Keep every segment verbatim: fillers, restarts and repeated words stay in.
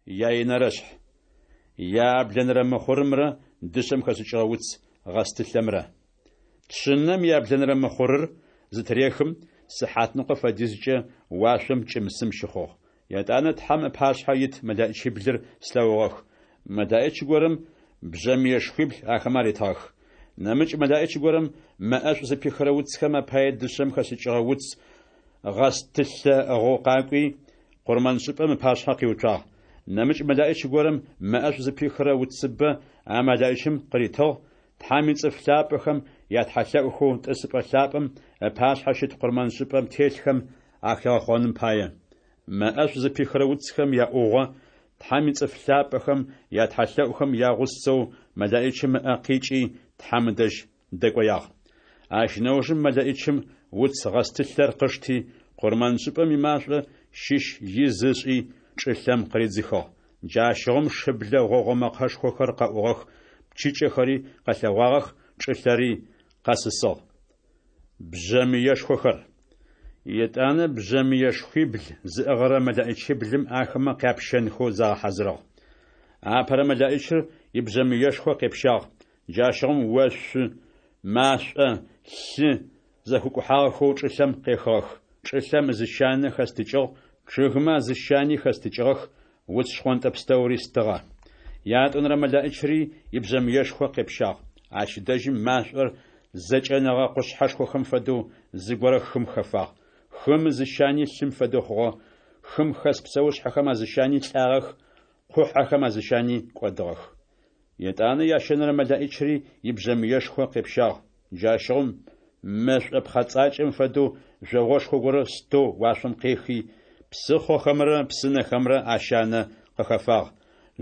Яинэрэ шъхь. Яблэнэрэ мыхъурымрэ дышъэм хэшӏыкӏыгъэ уц гъэстылъэмрэ. Шъынэм яблэнэрэ мыхъурыр зытырехым, сыхьатныкъо фэдизкӏэ уашъом кӏым-сым щыхъугъ. Етӏанэ Тхьэм ыпашъхьэ ит мэлэӏичиблыр слъэгъугъэх. Мэлэӏич горэм бжъэмыешхуибл ахэмэ аритыгъэх. Нэмыкӏ мэлэӏич горэм мэ ӏэшӏу зыпихырэ уцхэм апае дышъэм хэшӏыкӏыгъэ уц гъэстылъэ ыӏыгъэу къакӏуи, къурмэншӏыпӏэм ыпашъхьэ къиуцуагъ. Нэмыкӏ мэлэӏич горэм мэ ӏэшӏу зыпихырэ уцыбэ а мэлэӏичым къыритыгъ, Тхьэм ицӏыф лъапӏэхэм ятхьэлъэӏухэу тӏысыпӏэ лъапӏэм ыпашъхьэ щыт къурмэншӏыпӏэм телъхэм ахигъэхъоным пае. Мэ ӏэшӏу зыпихырэ уцхэм яӏугъо Тхьэм ицӏыф лъапӏэхэм ятхьэлъэӏухэм ягъусэу мэлэӏичым ыӏэ къикӏи, Тхьэм ыдэжь дэкӏоягъ. Ащ нэужым мэлэӏичым уц гъэстылъэр къышти, къурмэншӏыпӏэм имашӏо щыщ из ышӏи, чӏылъэм къыридзыхыгъ. Джащыгъум шыблэ гъогъо мэкъэшхохэр къэӏугъэх, пчыкӏэхэри къэлъэгъуагъэх, чӏылъэри къэсысыгъ. Бжъэмыешхохэр. Етӏанэ бжъэмыешхуибл зыӏыгъырэ мэлэӏичиблым ахэмэ къяпщэнхэу загъэхьазырыгъ. Апэрэ мэлэӏичыр ибжъэмыешхо къепщагъ. Джащыгъум ошъу, машӏо, лъы зэхэкӏухьагъэхэу чӏылъэм къехыгъэх. Чӏылъэм ызыщанэ хэстыкӏыгъ, чъыгмэ азыщани хэстыкӏыгъэх, уц шхъонтӏэ пстэури стыгъэ. Ятӏонэрэ мэлэӏичри ибжъэмыешхо къепщагъ. Ащ дэжьым машӏор зэкӏэнэгъэ къушъхьэшхохэм фэдэу зыгорэ хым хэфагъ. Хым ызыщани лъым фэдэу хъугъэ, хым хэс псэушъхьэхэм азыщани лӏагъэх, къухьэхэм азыщани кӏодыгъэх. Етӏанэ ящэнэрэ мэлэӏичри ибжъэмыешхо къепщагъ. Джащыгъум мэшӏо пхъэцӏакӏэм фэдэу жъогъошхо горэ стэу уашъом къехи, псыхъохэмрэ псынэхэмрэ ащанэ къыхэфагъ.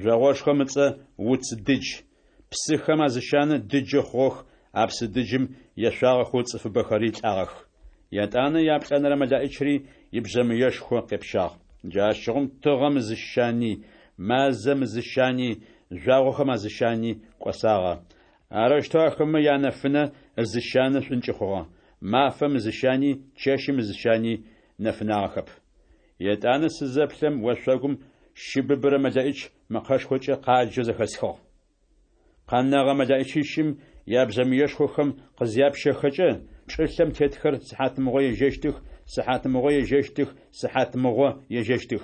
Жъогъошхом ыцӏэ Уц Дыдж. Псыхэм азыщанэ дыджы хъугъэх, а псы дыджым ешъуагъэхэу цӏыфыбэхэри лӏагъэх. Етӏанэ яплӏэнэрэ мэлэӏичри ибжъэмыешхо къепщагъ. Джащыгъум тыгъэм ызыщани, мазэм ызыщани, жъуагъохэм азыщани кӏосагъэ. Арэущтэу ахэмэ янэфынэ ызыщанэ шӏункӏы хъугъэ. Мафэм ызыщани, чэщым ызыщани нэфынагъэхэп. Етӏанэ сызэплъэм, ошъогум щыбыбырэ мэлэӏич мэкъэшхокӏэ къаджэу зэхэсхыгъ. Къэнэгъэ мэлэӏичищым ябжъэмыешхохэм къызяпщэхэкӏэ, чӏылъэм тетхэр сыхьатмыгъо ежьэщтых, сыхьатмыгъо ежьэщтых, сыхьатмыгъо ежьэщтых.